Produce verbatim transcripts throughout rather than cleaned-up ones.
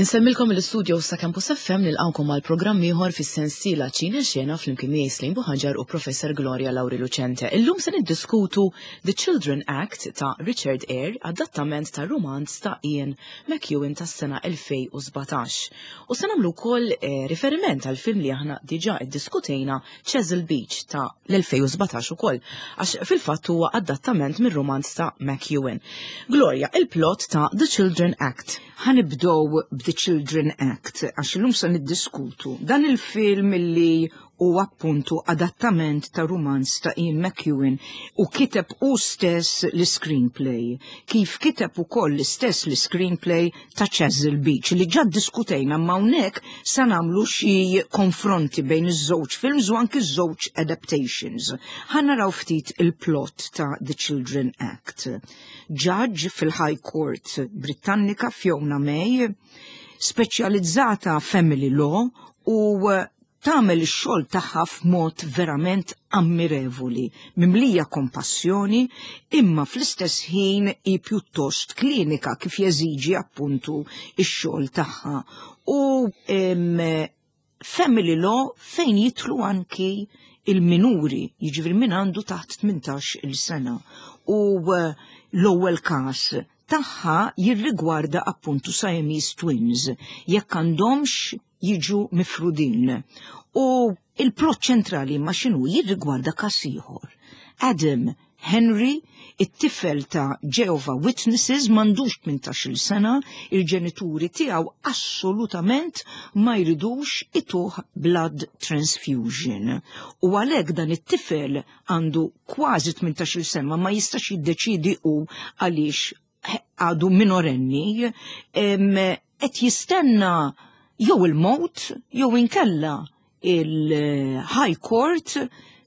Insellmilkom mill-istudio sa' Campus F M, nilqgħukom għal programm ieħor fis-sensiela Ċine Xena flimkien miegħi Slim Buħaġar u Professor Gloria Lauri Lucente. Illum se niddiskutu The Children Act ta' Richard Eyre, adattament ta' romanz ta' Ian McEwan tas-sena elfejn u sbatax. U se nagħmlu wkoll eh, riferiment għal film li aħna diġà iddiskutejna, Chesil Beach ta' l-elfejn u sbatax ukoll, għax fil-fatt huwa adattament mir-romanz ta' McEwan. Gloria, il-plot ta' The Children Act. Ħa nibdew b'The Children Act, għax illum se niddiskutu dan il-film li hu appuntu adattament ta' romanz ta' Ian McEwan u kiteb hu stess l-screenplay. Kif kiteb ukoll l-istess l-screenplay ta' Chesil Beach li ġa diskutejna, ma hawnhekk sa nagħmlu xi konfronti bejn iż-żewġ films u anki iż-żewġ adaptations. Ħa naraw ftit il-plot ta' The Children Act. Judge fil-High Court Britannika, Fiona May, speċjalizzata family law, u tagħmel ix-xogħol tagħha f'mod verament ammirevoli, mimlija kompassjoni, imma fl-istess ħin hi pjuttost klinika kif jeżiġi appuntu ix-xogħol tagħha. U em, family law fejn jidħlu anki il-minuri, jiġifieri min għandu taħt tmintax il sena. U eh, l-ewwel każ tagħha jirrigwarda appuntu Siamese twins, jekk għandhomx jiġu mifrudin. U il-plot ċentrali ma xinu jirrigwarda każ ieħor. Adam Henry, it-tifel ta' Jehovah Witnesses, m'għandux tmintax-il sena, il-ġenituri tiegħu assolutament ma jridux ituh blood transfusion. U għalhekk dan it-tifel għandu kważi tmintax-il sena, ma jistax jiddeċidi u għaliex għadu minorenni, qed jistenna jew il-mot jew inkella il-High Court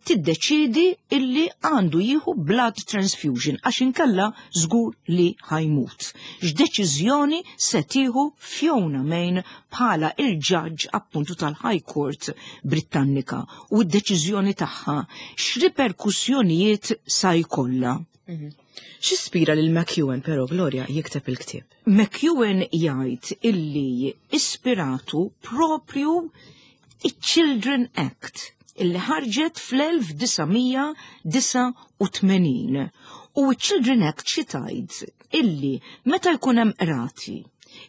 tiddeċidi illi għandu jieħu blood transfusion għax inkella żgur li ħa jmut. X'deċiżjoni se tieħu Fiona May bħala il-judge appuntu tal-High Court Britannika u d-deċiżjoni tagħha x'riperkussjonijiet sa jkollha? Mhm. X'ispira lil McEwan però, Gloria, jikteb il-ktieb? McEwan jgħid illi ispiratu propju il-Children Act illi ħarġet fl-elf disa' mija disgħa u tmenin. U il-Children Act xi tgħid? Illi meta jkun hemm qrati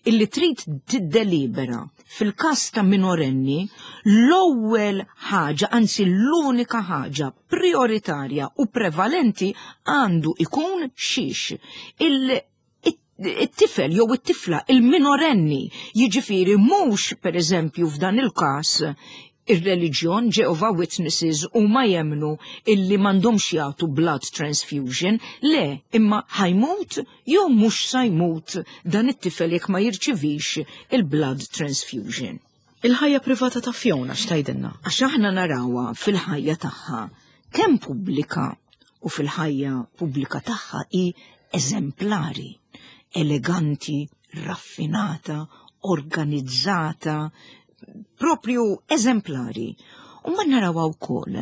illi trid tiddelibera fil-każ ta' minorenni, l-ewwel ħaġa, anzi l-unika ħaġa prioritarja u prevalenti għandu ikun xiex? Il it-tifel jew it-tifla, il-minorenni, jiġifieri mhux per eżempju f'dan il-każ ir-reliġjon, Jehovah Witnesses u ma jemnu illi m'għandhomx jagħtu blood transfusion, le, imma ħa jmut jew mhux sa jmut dan it-tifel jekk ma jirċivix il-blood transfusion. Il-ħajja privata ta' Fiona x'tgħidilna? Għax aħna narawha fil-ħajja tagħha kemm pubblika, u fil-ħajja pubblika tagħha hi eżemplari, eleganti, raffinata, organizzata, propju eżemplari. U ma narawha wkoll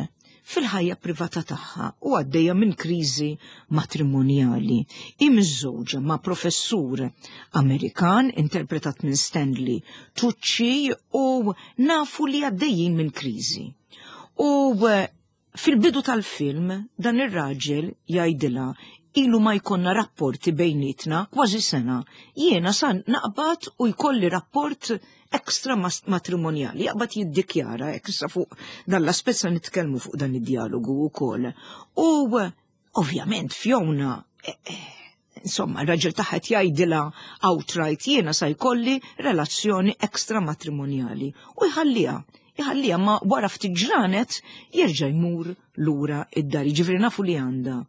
fil-ħajja privata tagħha u għaddejja minn kriżi matrimonjali. Hi miżżewġa ma' professur Amerikan interpretat minn Stanley Tucci u nafu li għaddejjin minn kriżi. U eh, fil-bidu tal-film dan ir-raġel jgħidilha, "Ilu ma jkollna rapporti bejnietna kważi sena. Jiena san naqbad u jkolli rapport ekstra matrimonjali." Jaqbad jiddikjara, hekk issa fuq dan l-aspett sa nitkellmu fuq dan id-dialogu wkoll. U ovvjament Fiona, eh, eh, insomma, il-raġel tagħha jgħidilha outright, "Jiena sa jkolli relazzjoni ekstra matrimonjali." U jħalliha, jħalliha, ma wara ftit ġranet jerġa' jmur lura id-dar. Ġifieri nafu li għandha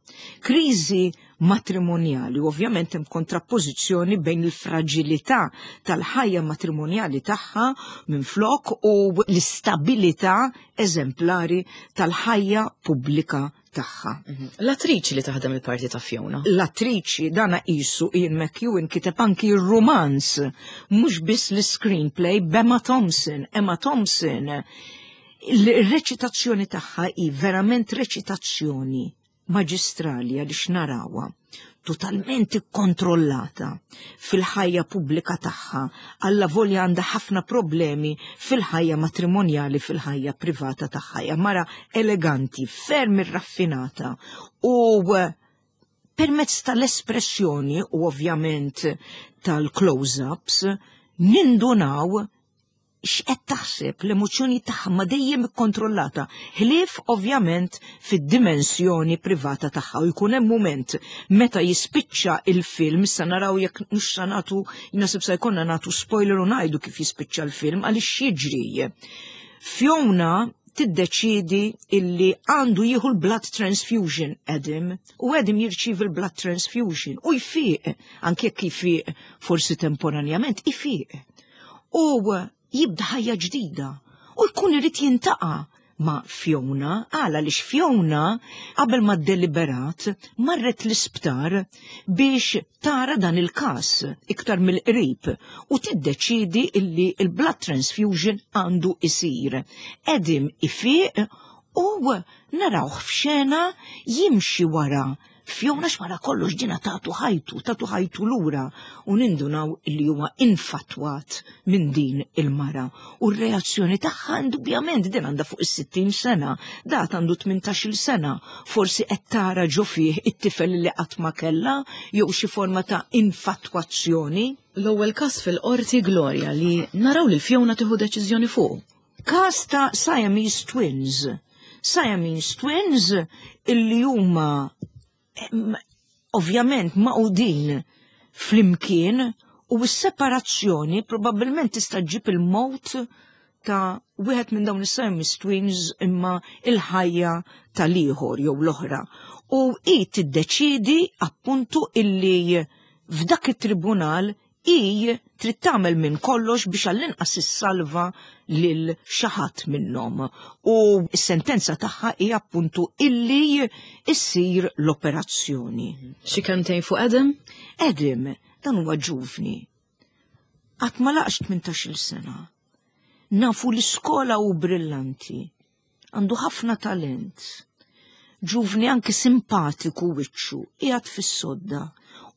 kriżi matrimonjali, ovvjament hemm kontrappożizzjoni bejn il-fragilità tal-ħajja matrimonjali tagħha minn flok u l-istabilità eżemplari tal-ħajja pubblika tagħha. Mhm. L-attriċi li taħdem il-parti ta' Fiona. L-attriċi dana qisu Ian McEwan kiteb anki r-romanz, mhux biss l-screenplay, b'Emma Thompson. Emma Thompson, il-reċitazzjoni tagħha hi verament reċitazzjoni maġistrali għaliex narawha. totalment ikkontrollata fil-ħajja pubblika tagħha, allavolja għandha ħafna problemi fil-ħajja matrimonjali, fil-ħajja privata tagħha. Hija mara eleganti, ferm irraffinata u permezz tal-espressjoni u ovvjament tal-close-ups nindunaw x'qed taħseb, l-emozzjoni tagħha ma dejjem ikkontrollata, ħlief ovvjament fid-dimensjoni privata tagħha, u jkun hemm mument meta jispiċċa il-film, issa naraw jekk mhux sa nagħtu, naħseb sa jkollna nagħtu spoiler u ngħidu kif jispiċċa l-film għaliex jiġri. Fiona tiddeċidi illi għandu jieħu l-blood transfusion Adam, u Adam jirċivi l-blood transfusion u jfiq, anke jekk jfiq forsi temporanjament, ifiq. U jibda ħajja ġdida u jkun irid jiltaqa' ma' Fiona, għala li Fiona qabel ma deliberat marret l-isptar biex tara dan il-kas iktar mill-qrib u tiddeċidi illi il-blood transfusion għandu isir. Adam ifiq u narawh f'xena jimxi wara Fiona x'wara kollox ġina tatu ħajtu, tatu ħajtu lura u nindunaw li huwa infatwat minn din il-mara. U r-reazzjoni tagħha indubjament din għandha fuq is-sittin sena, dat għandu tmintax-il sena, forsi qed tara ġo fih it-tifel li qatt ma kellha jew xi forma ta' infatwazzjoni. L-ewwel każ fil-qorti, Gloria, li naraw li Fiona tieħu deċiżjoni fuq. Każ ta' Siamese Twins. Siamese Twins illi huma ovvjament magħqudin flimkien u s-separazzjoni probabbilment tista' ġġib il-mowt ta' wieħed minn dawn is-Siamese Twins imma il-ħajja tal-ieħor jew l-oħra. U hi tiddeċidi appuntu illi f'dak it-tribunal hi trid tagħmel minn kollox biex għall-inqas issalva lil xi ħadd minnhom. U s-sentenza tagħha hi appuntu illi issir l-operazzjoni. Xi kelmtejn fuq Adam? Adam, dan huwa ġuvni. Qatt ma laqx tmintax-il sena. Nafu l-iskola u brillanti. Għandu ħafna talent. Ġuvni anki simpatiku wiċċu, qiegħed fis-sodda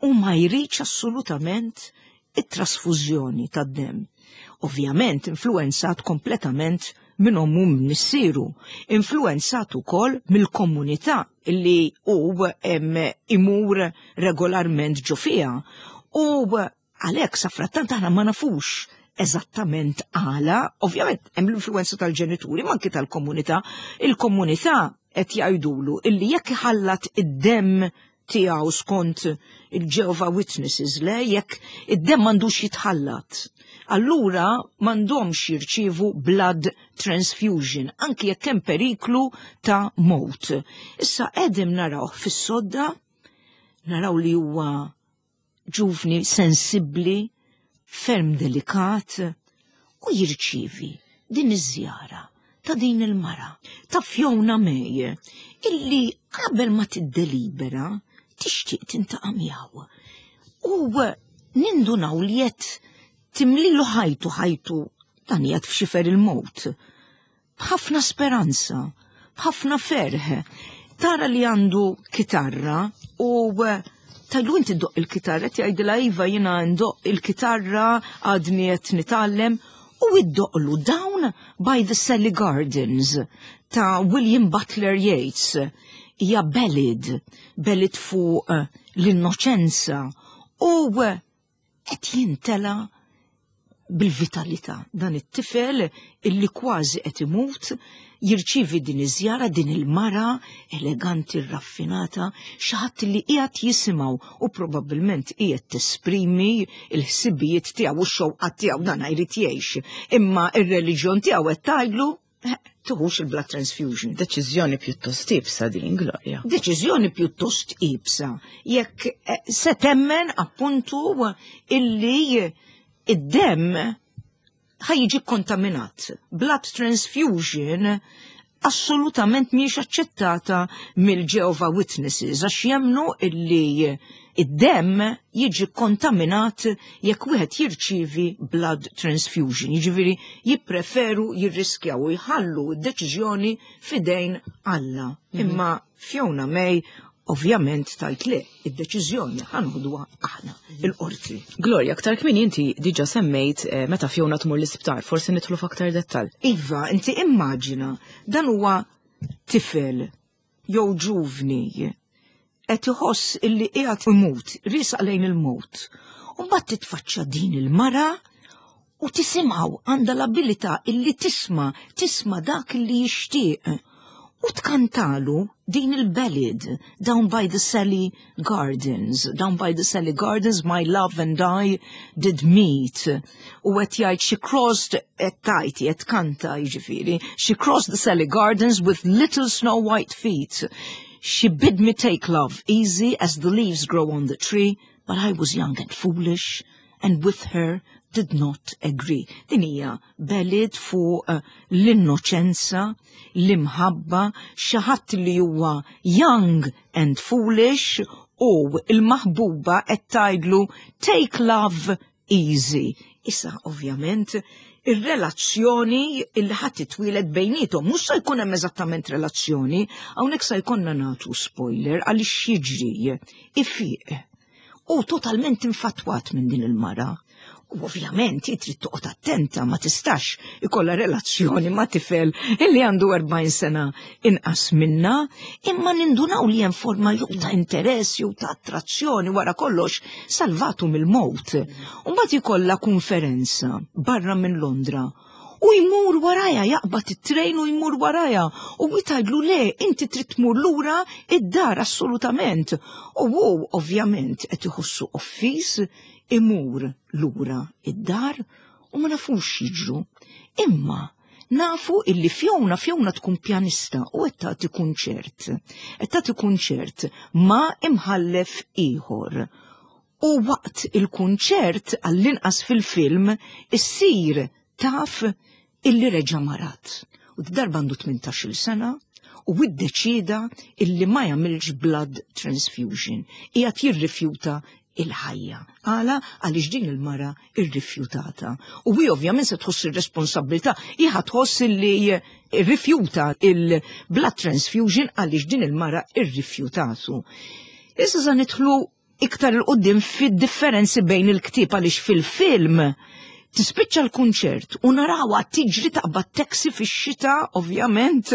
u ma jridx assolutament it-trasfużjoni tad-dem. Ovvjament influenzat kompletament minn ommu, minn missieru, influenzat ukoll mill-komunità illi hu imur regolarment ġo fiha. U għalhekk safrattant aħna ma nafux eżattament għala, ovvjament hemm l-influenza tal-ġenituri, ma anki tal-komunità. Il-komunità qed jgħidulu illi jekk iħallat id-demm tiegħu skont il-Jehovah Witnesses, le, jekk id-demm m'għandux jitħallat. Allura m'għandhomx jirċievu blood transfusion, anki jekk hemm periklu ta' mowt. Issa Adam naraw fis-sodda, naraw li huwa ġuvni sensibbli, ferm delikat, u jirċievi din iż-żjara ta' din il-mara, ta' Fiona May, illi qabel ma tiddelibera tixtieq tiltaqa' miegħu. U nindunaw li qed timlilu ħajtu, ħajtu dan qiegħed f'xifer il-mowt. B'ħafna speranza, b'ħafna ferħ. Tara li għandu kitarra u tgħidlu, "Inti ddoqq il-kitarra?" Tgħidilha, "Iva, jiena ndoqq il-kitarra, għadni qed nitgħallem," u iddoqqlu Down by the Sally Gardens ta' William Butler Yeats. Hija ballad, ballad fuq l-innoċenza u qed jintela bil-vitalità. Dan it-tifel illi kważi qed imut jirċivi din iż-żjara, din il-mara eleganti, raffinata, xi ħadd li qiegħed jisimgħu u probabbilment qiegħed tesprimi l-ħsibijiet tiegħu u x-xewqat tiegħu, dan jrid jgħix. Imma ir-reliġjon tiegħu qed tgħidlu eh, tuħux il-blood transfusion. Deċiżjoni pjuttost iebsa din, Gloria. Deċiżjoni pjuttost iebsa. Jekk eh, se temmen appuntu illi id-demm ħa jiġi kontaminat. Blood transfusion assolutament mhijiex aċċettata mill-Jehovah Witnesses għax jemmnu illi id-demm jiġi kontaminat jekk wieħed jirċievi blood transfusion. Jiġifieri jippreferu jirriskjaw u jħallu d-deċiżjoni f'idejn Alla. Imma Fiona May Ovvjament tajt le, id-deċiżjoni ħa neħduha aħna, il-qorti. Gloria, aktar kmieni inti diġà semmejt eh, meta Fiona tmur l-isptar, forsi nidħlu f'aktar dettal. Iva, inti immaġina, dan huwa tifel jew ġuvni qed iħoss illi qiegħed imut, riesaq lejn il-mewt. U mbagħad titfaċċa din il-mara u tisimgħu, għandha l-abilità illi tisma', tisma' dak illi jixtieq. U tkantalu din il-ballad, Down by the Sally Gardens. Down by the Sally Gardens, my love and I did meet. U qed jgħid she crossed, qed tajti, qed kanta jiġifieri, she crossed the Sally Gardens with little snow white feet. She bid me take love easy as the leaves grow on the tree, but I was young and foolish, and with her did not agree. Din hija ballad fuq uh, l-innoċenza, l-imħabba, xi ħadd li huwa young and foolish u il-maħbuba qed tgħidlu take love easy. Issa ovvjament ir-relazzjoni illi ħadd titwieled bejniethom mhux se jkun hemm eżattament relazzjoni, hawnhekk se jkollna nagħtu spoiler għaliex jiġri ifiq. U totalment infatwat minn din il-mara. U ovvjament trid toqgħod attenta, ma tistax ikollha relazzjoni ma' tifel illi għandu erbgħin sena inqas minna, imma nindunaw li hemm forma jew ta' interess jew ta' attrazzjoni, wara kollox salvatu mill-mewt. U mbagħad ikollha konferenza barra minn Londra. U jmur waraja, jaqbad it-trejn u jmur waraja. U tgħidlu le, inti trid tmur lura id-dar assolutament. U hu ovvjament qed iħossu offiż, imur lura id-dar u ma nafux jiġru. Imma nafu illi Fiona, Fiona tkun pjanista u qed tagħti kunċert. Qed tagħti kunċert ma' imħallef ieħor. U waqt il-kunċert, għall-inqas fil-film, issir taf illi reġa' marat. U darba għandu tmintax-il sena u iddeċida illi ma jagħmilx blood transfusion. Qiegħed jirrifjuta il-ħajja. Għala? Għaliex din il-mara irrifjutata. U hi ovvjament se tħoss ir-responsabilità, hi tħoss illi irrifjuta il-blood transfusion għaliex din il-mara irrifjutatu. Issa sa nidħlu iktar 'il quddiem fid-differenzi bejn il-ktieb, għaliex fil-film tispiċċa l-kunċert u narawha tiġri, taqbad taxi fix-xita, ovvjament,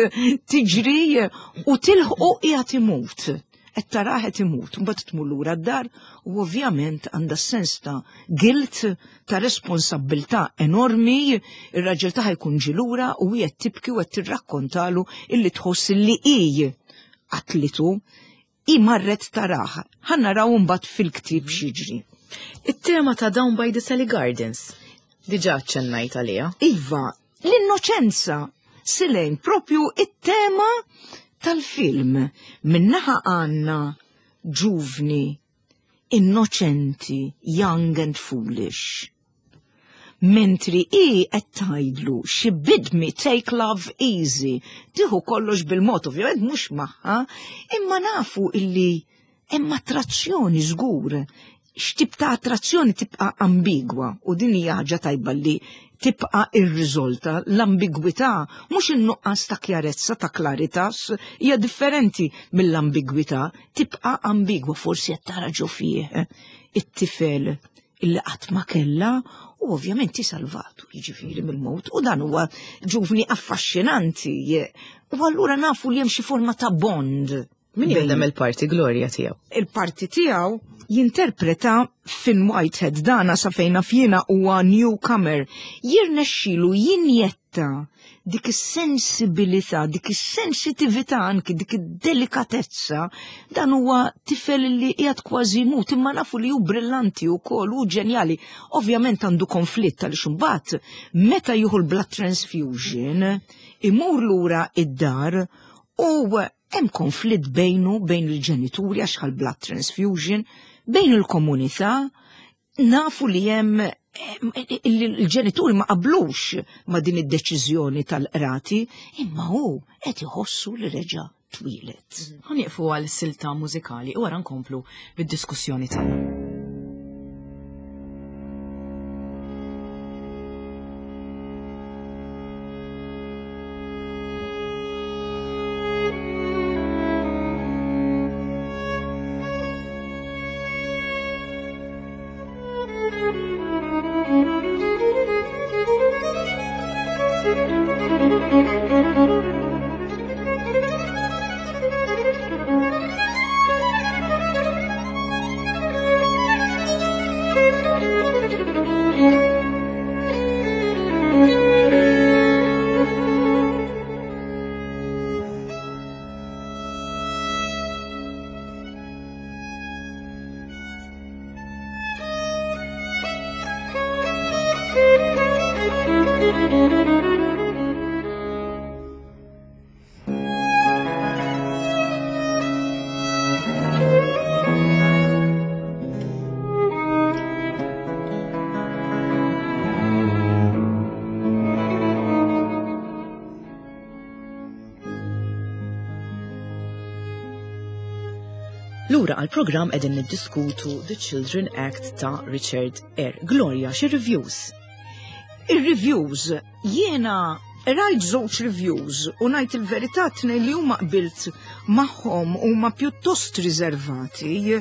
tiġri u tilħqu qiegħed imut. Qed tarah qed imut, mbagħad tmur lura d-dar u ovvjament għandha sens ta' guilt, ta' responsabilità enormi, ir-raġel tagħha jkun ġie lura u hija tibki u qed tirrakkontalu illi tħoss li hi qatlitu, hi marret tarah. Ħa naraw mbagħad fil-ktieb x'jiġri. It-tema ta' Down by the Sally Gardens, diġà ċennajt għalija. Iva, l-innoċenza, Silejn, propju it-tema tal-film. Min-naħa għandna ġuvni, innoċenti, young and foolish. Mentri i qed tgħidlu she bid me take love easy, tieħu kollox bil-mod, ovvjament mhux magħha, imma nafu illi hemm attrazzjoni żgur. X'tip ta' attrazzjoni tibqa' ambigwa, u din hija ħaġa tajba li tibqa' irriżolta l-ambigwità, mhux in-nuqqas ta' kjarezza, ta' claritas, hija differenti mill-ambigwità, tibqa' ambigwa, forsi qed tara ġo fih it-tifel illi qatt ma kellha u ovvjament salvatu jiġifieri mill-mewt, u dan huwa ġuvni affaxxinanti, u allura nafu li hemm xi forma ta' bond. Min jaħdem il-parti, Gloria, tiegħu? Il-parti tiegħu jinterpreta Finn Whitehead, dana sa fejn naf jiena huwa newcomer. Jirnexxilu jinjetta dik is-sensibilità, dik is-sensitività, anki dik id-delikatezza. Dan huwa tifel li qiegħed kważi jmut, imma nafu li hu brillanti wkoll, hu ġenjali. Ovvjament għandu konflitt għaliex imbagħad meta jieħu l-blood transfusion imur lura id-dar u hemm konflitt bejnu, bejn il-ġenituri għax blood transfusion, bejn il-komunità, nafu li hemm il-ġenituri ma qablux ma din id-deċiżjoni tal-qrati, imma hu qed iħossu li reġa' twieled. Ħa nieqfu għal silta mużikali u wara nkomplu bid-diskussjoni tagħna. Lura għal-programm qegħdin niddiskutu The Children Act ta' Richard Eyre. Gloria, xi reviews? Ir-reviews, jiena rajt żewġ reviews u ngħid il-verità, tnejn li huma qbilt magħhom, huma pjuttost riservati.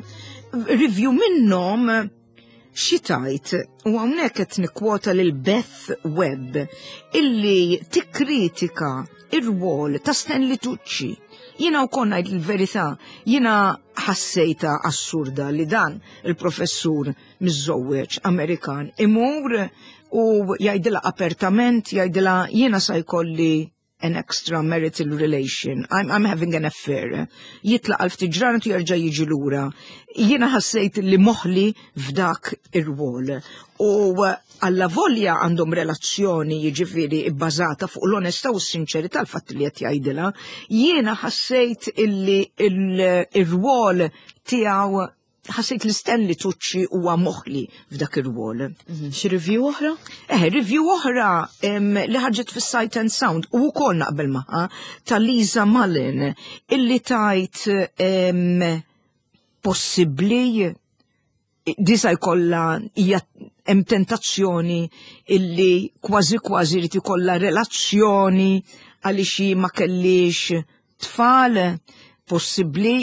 Review minnhom xi tgħid, u hawnhekk qed nikkwota lil Beth Webb, illi tikkritika ir-rwol ta' Stanley Tucci. Jiena wkoll ngħid il-verità, jiena ħassejta assurda li dan il-professur miżżewweġ Amerikan imur u jgħidilha apertament, jgħidilha: "Jiena sa jkolli an extra marital relation. I'm, I'm having an affair." Jitlaq għal ftit ġranet u jerġa' jiġi lura. Jiena ħassejt li moħli f'dak ir-rwol. U alla volja għandhom relazzjoni, jiġifieri, bbażata fuq l-onestà u s-sinċerità, l-fatt li qed jgħidilha, jiena ħassejt illi il-rwol tiegħu, ħassejt li Stanley Tucci huwa moħli f'dak ir-rwol. Mhm. Xi review oħra? Eh, review oħra em, li ħarġet fis-Sight and Sound u wkoll naqbel magħha, ta' Lisa Mullin, illi tgħid em, possibbli disa jkollha, hija hemm tentazzjoni illi kważi kważi rid ikollha relazzjoni għaliex hi ma kellix tfal, possibbli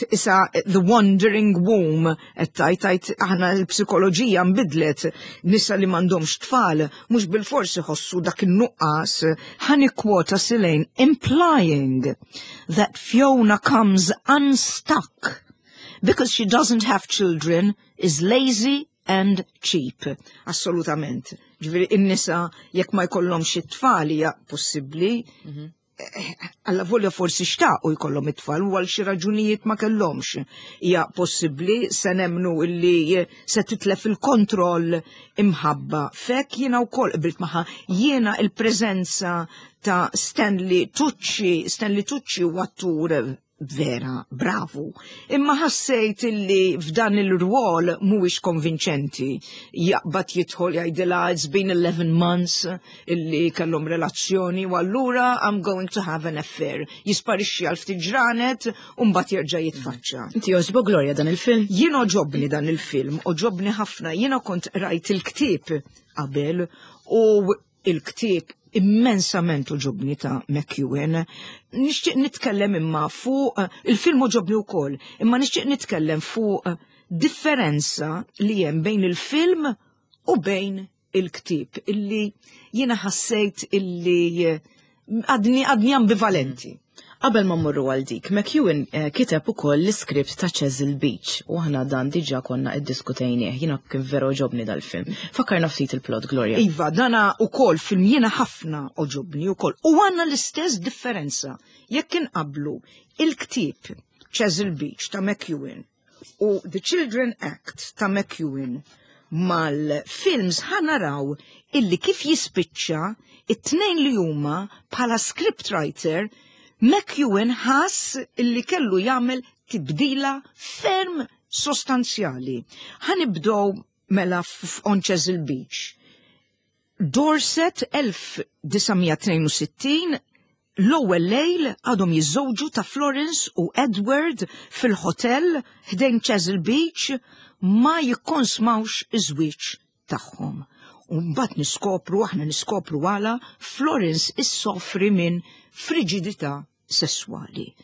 issa the wandering womb, qed tgħid tgħid aħna l-psikoloġija nbidlet, nisa li m'għandhomx tfal mhux bil-forsi ħossu dak in-nuqqas. Ħa nikkwota Silane: "Implying that Fiona comes unstuck because she doesn't have children is lazy and cheap." Assolutament. Ġifieri in-nisa jekk ma jkollhomx it-tfal, hija possibbli. Alla volja forsi xtaqu jkollhom it-tfal u għal xi raġunijiet ma kellhomx. Hija possibbli se nemmnu illi se titlef il-kontroll imħabba. Fek jiena wkoll qbilt magħha, jiena il-preżenza ta' Stanley Tucci, Stanley Tucci u attur vera, bravu. Imma ħassejt illi f'dan il-rwol mhuwiex konvinċenti. Jaqbad jidħol jgħidilha it's been eleven months illi kellhom relazzjoni u allura I'm going to have an affair. Jisparixxi għal ftit ġranet u mbagħad jerġa' jitfaċċa. Inti jogħġbok, Gloria, dan il-film? Jien għoġobni dan il-film, għoġobni ħafna. Jiena kont rajt il-ktieb qabel u il-ktieb immensament għoġobni ta' McEwan. Nixtieq nitkellem imma fuq il-film, għoġobni wkoll, imma nixtieq nitkellem fuq differenza li hemm bejn il-film u bejn il-ktieb illi jiena ħassejt illi għadni għadni ambivalenti. Qabel ma mmorru għal dik, McEwan eh, kiteb ukoll l-iskript ta' Chesil Beach u aħna dan diġà konna iddiskutejnieh, jiena kien vera għoġobni dal-film. Fakkarna ftit il-plot, Gloria. Iva, dana ukoll film jiena ħafna għoġobni ukoll. U għandna l-istess differenza. Jekk inqablu il-ktieb Chesil Beach ta' McEwan u The Children Act ta' McEwan mal-films, ħa naraw illi kif jispiċċa, it-tnejn li huma bħala scriptwriter, McEwan ħass illi kellu jagħmel tibdila ferm sostanzjali. Ħa nibdew mela on Chesil Beach. Dorset elf disa' mija tnejn u sittin, l-ewwel lejl għadhom jiżżewġu ta' Florence u Edward fil-hotel ħdejn Chesil Beach ma jikkonsmawx iż-żwieġ tagħhom. U mbagħad niskopru, aħna niskopru għala Florence issofri minn frigidità sessuali.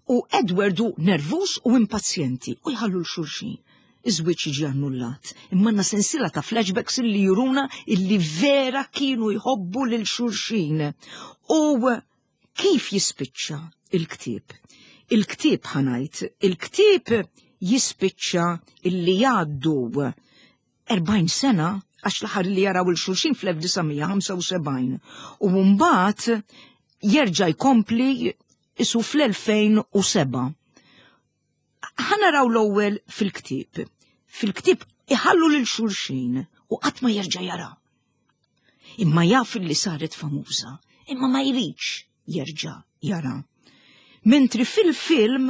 U Edward hu nervus u impazjenti u jħallu 'l xulxin. Iż-żwieġ jiġi annullat. Imma għandna sensiela ta' flashbacks illi juruna illi vera kienu jħobbu lil xulxin. U kif jispiċċa il-ktieb? Il-ktieb, ħa ngħid, il-ktieb jispiċċa illi jgħaddu erbgħin sena, għax l-aħħar li jaraw lil xulxin fl-elf disa' mija ħamsa u sebgħin u mbagħad jerġa' jkompli isu fl-elfejn u sebgħa. Ħa naraw l-ewwel fil-ktieb. Fil-ktieb iħallu lil xulxin u qatt ma jerġa' jara. Imma jaf li saret famuża, imma ma jridx jerġa' jara. Mentri fil-film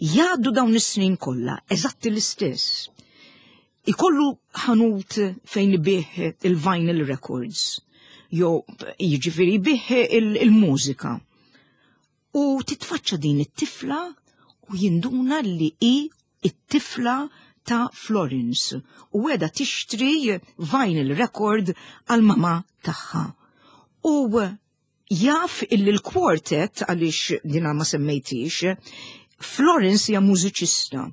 jgħaddu dawn is-snin kollha eżatti l-istess. Ikollu ħanut fejn ibigħ il-vinyl records, jew jiġifieri ibigħ il-mużika. U titfaċċa din it-tifla u jinduna li hi it-tifla ta' Florence u qiegħda tixtri vinyl record għal mama tagħha. U jaf illi l-quartet, għaliex dina ma semmejtix, Florence hija mużiċista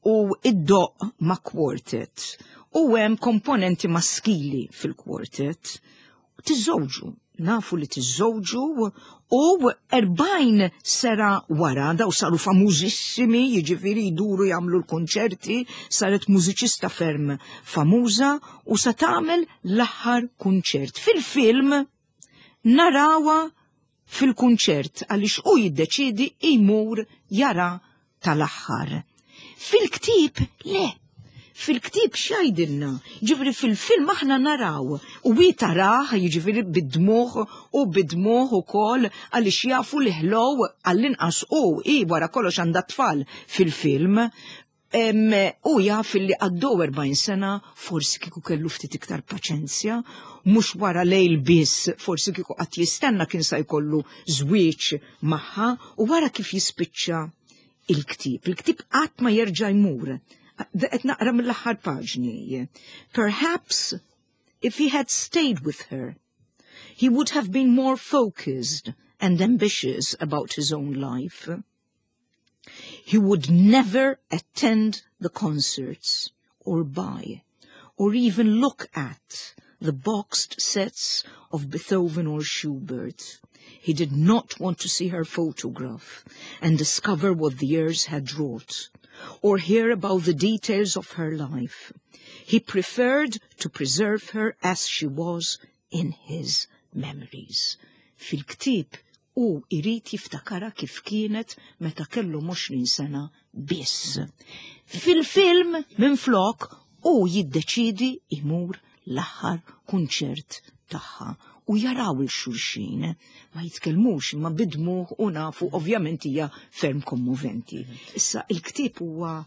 u iddoqq ma' quartet u hemm komponenti maskili fil-quartet. Tiżżewġu, nafu li tiżżewġu u erbgħin sena wara daw saru famużissimi, jiġifieri jduru jagħmlu l-konċerti, saret mużiċista ferm famuża u sa tagħmel l-aħħar kunċert. Fil-film narawha fil-kunċert għaliex u jiddeċidi jmur jara tal-aħħar. Fil-ktieb le. Fil-ktieb x'jgħidilna? Ġifieri fil-film aħna naraw u wi tarah, jiġifieri bid-dmugħ u bid-dmugħ ukoll għaliex jafu li ħlow għall-inqas u i wara kollox għandha tfal fil-film. U jaf li għaddew erbgħin sena, forsi kieku kellu ftit iktar paċenzja, mhux wara lejl biss, forsi kieku qatt jistenna kien sa jkollu żwieġ magħha. U wara kif jispiċċa il-ktieb. Il-ktieb qatt ma jerġa' jmur. Qed naqra mill-aħħar paġni. "Perhaps if he had stayed with her, he would have been more focused and ambitious about his own life. He would never attend the concerts or buy or even look at the boxed sets of Beethoven or Schubert. He did not want to see her photograph and discover what the years had wrought, or hear about the details of her life. He preferred to preserve her as she was in his memories." Fil-ktieb u irid jiftakara kif kienet meta kellu għoxrin sena biss. Fil-film, minn flok, u jiddeċidi imur l-aħħar kunċert tagħha u jaraw lil xulxin, ma jitkellmux imma bid-dmugħ u nafu ovvjament hija ferm kommoventi. Issa il-ktieb huwa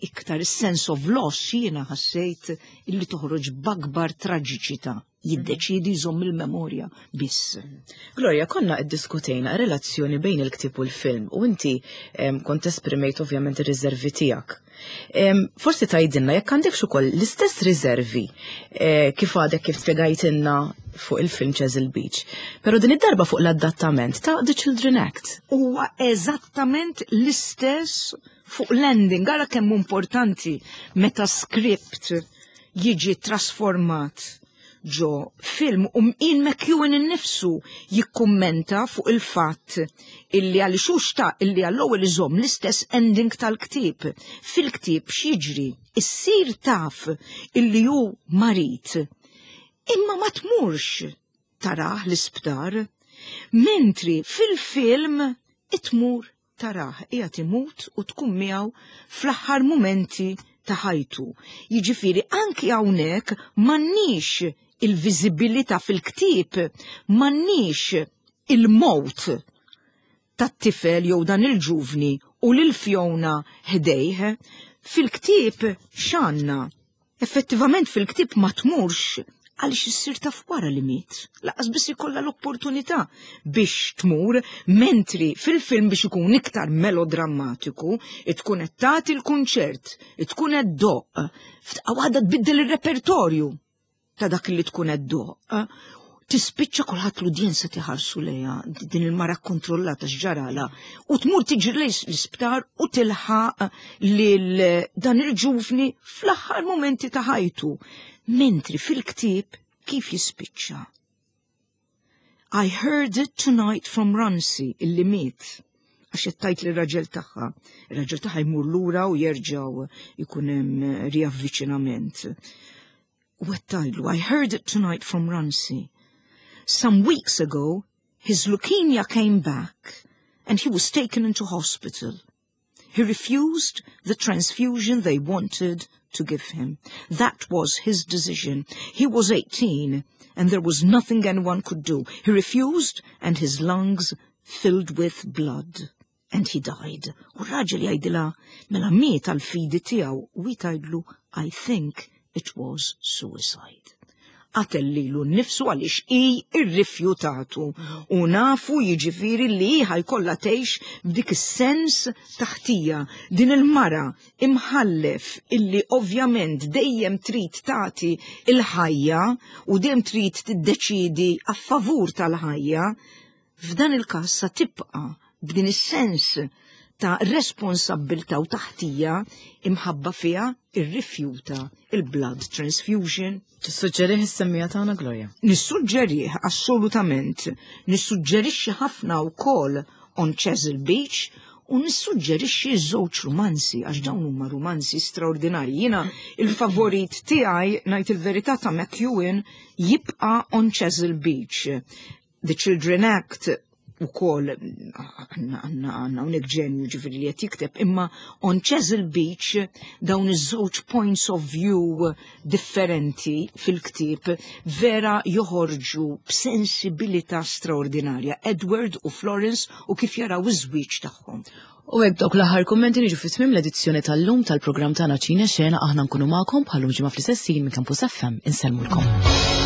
iktar sense of loss, jiena ħassejt illi toħroġ b'akbar traġiċità, jiddeċidi jżomm il-memorja biss. Gloria, konna iddiskutejna relazzjoni bejn il-ktieb u l-film u inti em, kont esprimejt ovvjament ir-riservi tiegħek. Em, Forsi tgħidilna jekk għandek ukoll l-istess riservi eh, kif għadek kif spjegajtilna fuq il-film Chesil Beach. Però din id-darba fuq l-adattament ta' The Children Act. Huwa eżattament l-istess fuq l-ending. Ara kemm importanti meta script jiġi trasformat ġo film, u Ian McEwan innifsu jikkummenta fuq il-fatt illi għal xuxta illi għall-ewwel iżomm l-istess ending tal-ktieb. Fil-ktieb x'jiġri? Issir taf illi hu marid. Imma ma tmurx tarah l-isptar, mentri fil-film itmur tarah qiegħed imut u tkun miegħu fl-aħħar mumenti ta' ħajtu. Jiġifieri anki hawnhekk m'għandniex il-viżibilità fil-ktieb, m'għandniex il-mowt tat-tifel jew dan il-ġuvni u lil Fiona ħdejh. Fil-ktieb x'għandna? Effettivament fil-ktieb ma tmurx għaliex issir taf wara li miet. Lanqas biss ikollha l-opportunità biex tmur, mentri fil-film, biex ikun iktar melodrammatiku, tkun qed tagħti l-kunċert, tkun qed iddoqq, f'daqqa waħda tbiddel ir-repertorju ta' dak li tkun qed iddoqq. Tispiċċa kulħadd, l-udjenza tiħarsu lejha, din il-mara kontrollata, x'ġarala, u tmur tiġri lejn l-isptar u tilħaq lil dan il-ġuvni fl-aħħar momenti ta' ħajtu. Mentri fil-ktieb kif jispiċċa? "I heard it tonight from Runcie," illi miet, għax tgħid li raġel tagħha. Ir-raġel tagħha jmur lura u jerġgħu jkun hemm riavviċinament. U tgħidlu, "I heard it tonight from Runcie. Some weeks ago, his leukemia came back and he was taken into hospital. He refused the transfusion they wanted to give him. That was his decision. He was eighteen and there was nothing anyone could do. He refused and his lungs filled with blood. And he died." U raġel jgħidilha, "Mela miet għal-fidi tiegħu," u tgħidlu, "I think it was suicide. Qatel lilu nnifsu għaliex i irrifjutatu." U nafu jiġifieri li ħa jkollha tgħix b'dik is-sens ta' ħtija. Din il-mara imħallef illi ovvjament dejjem trid tagħti il-ħajja u dejjem trid tiddeċidi a favur tal-ħajja, f'dan il-każ sa tibqa' b'din is-sens ta' responsabbiltà u ta' ħtija imħabba fiha irrifjuta il-blood transfusion. Tissuġġerih is-semmiegħa tagħna, Gloria? Nissuġġerih assolutament. Nissuġġerixxi ħafna wkoll On Chesil Beach u nissuġġerixxi żewġ romanzi, għax dawn huma romanzi straordinarji. Jiena il-favorit tiegħi, ngħid il-verità, ta' McEwan jibqa' On Chesil Beach. The Children Act ukoll għandna għandna għandna hawnhekk ġenju ġifieri li qed jikteb, imma On Chesil Beach dawn iż-żewġ points of view differenti fil-ktieb vera joħorġu b'sensibilità straordinarja. Edward u Florence u kif jaraw iż-żwieġ tagħhom. U hekk dawk l-aħħar kummenti niġu fi tmiem l-edizzjoni tal-lum tal-programm tagħna Ċine Xena. Aħna nkunu magħkom bħal ġimgħa fl-istess minn Campus F M. Insellmulkom.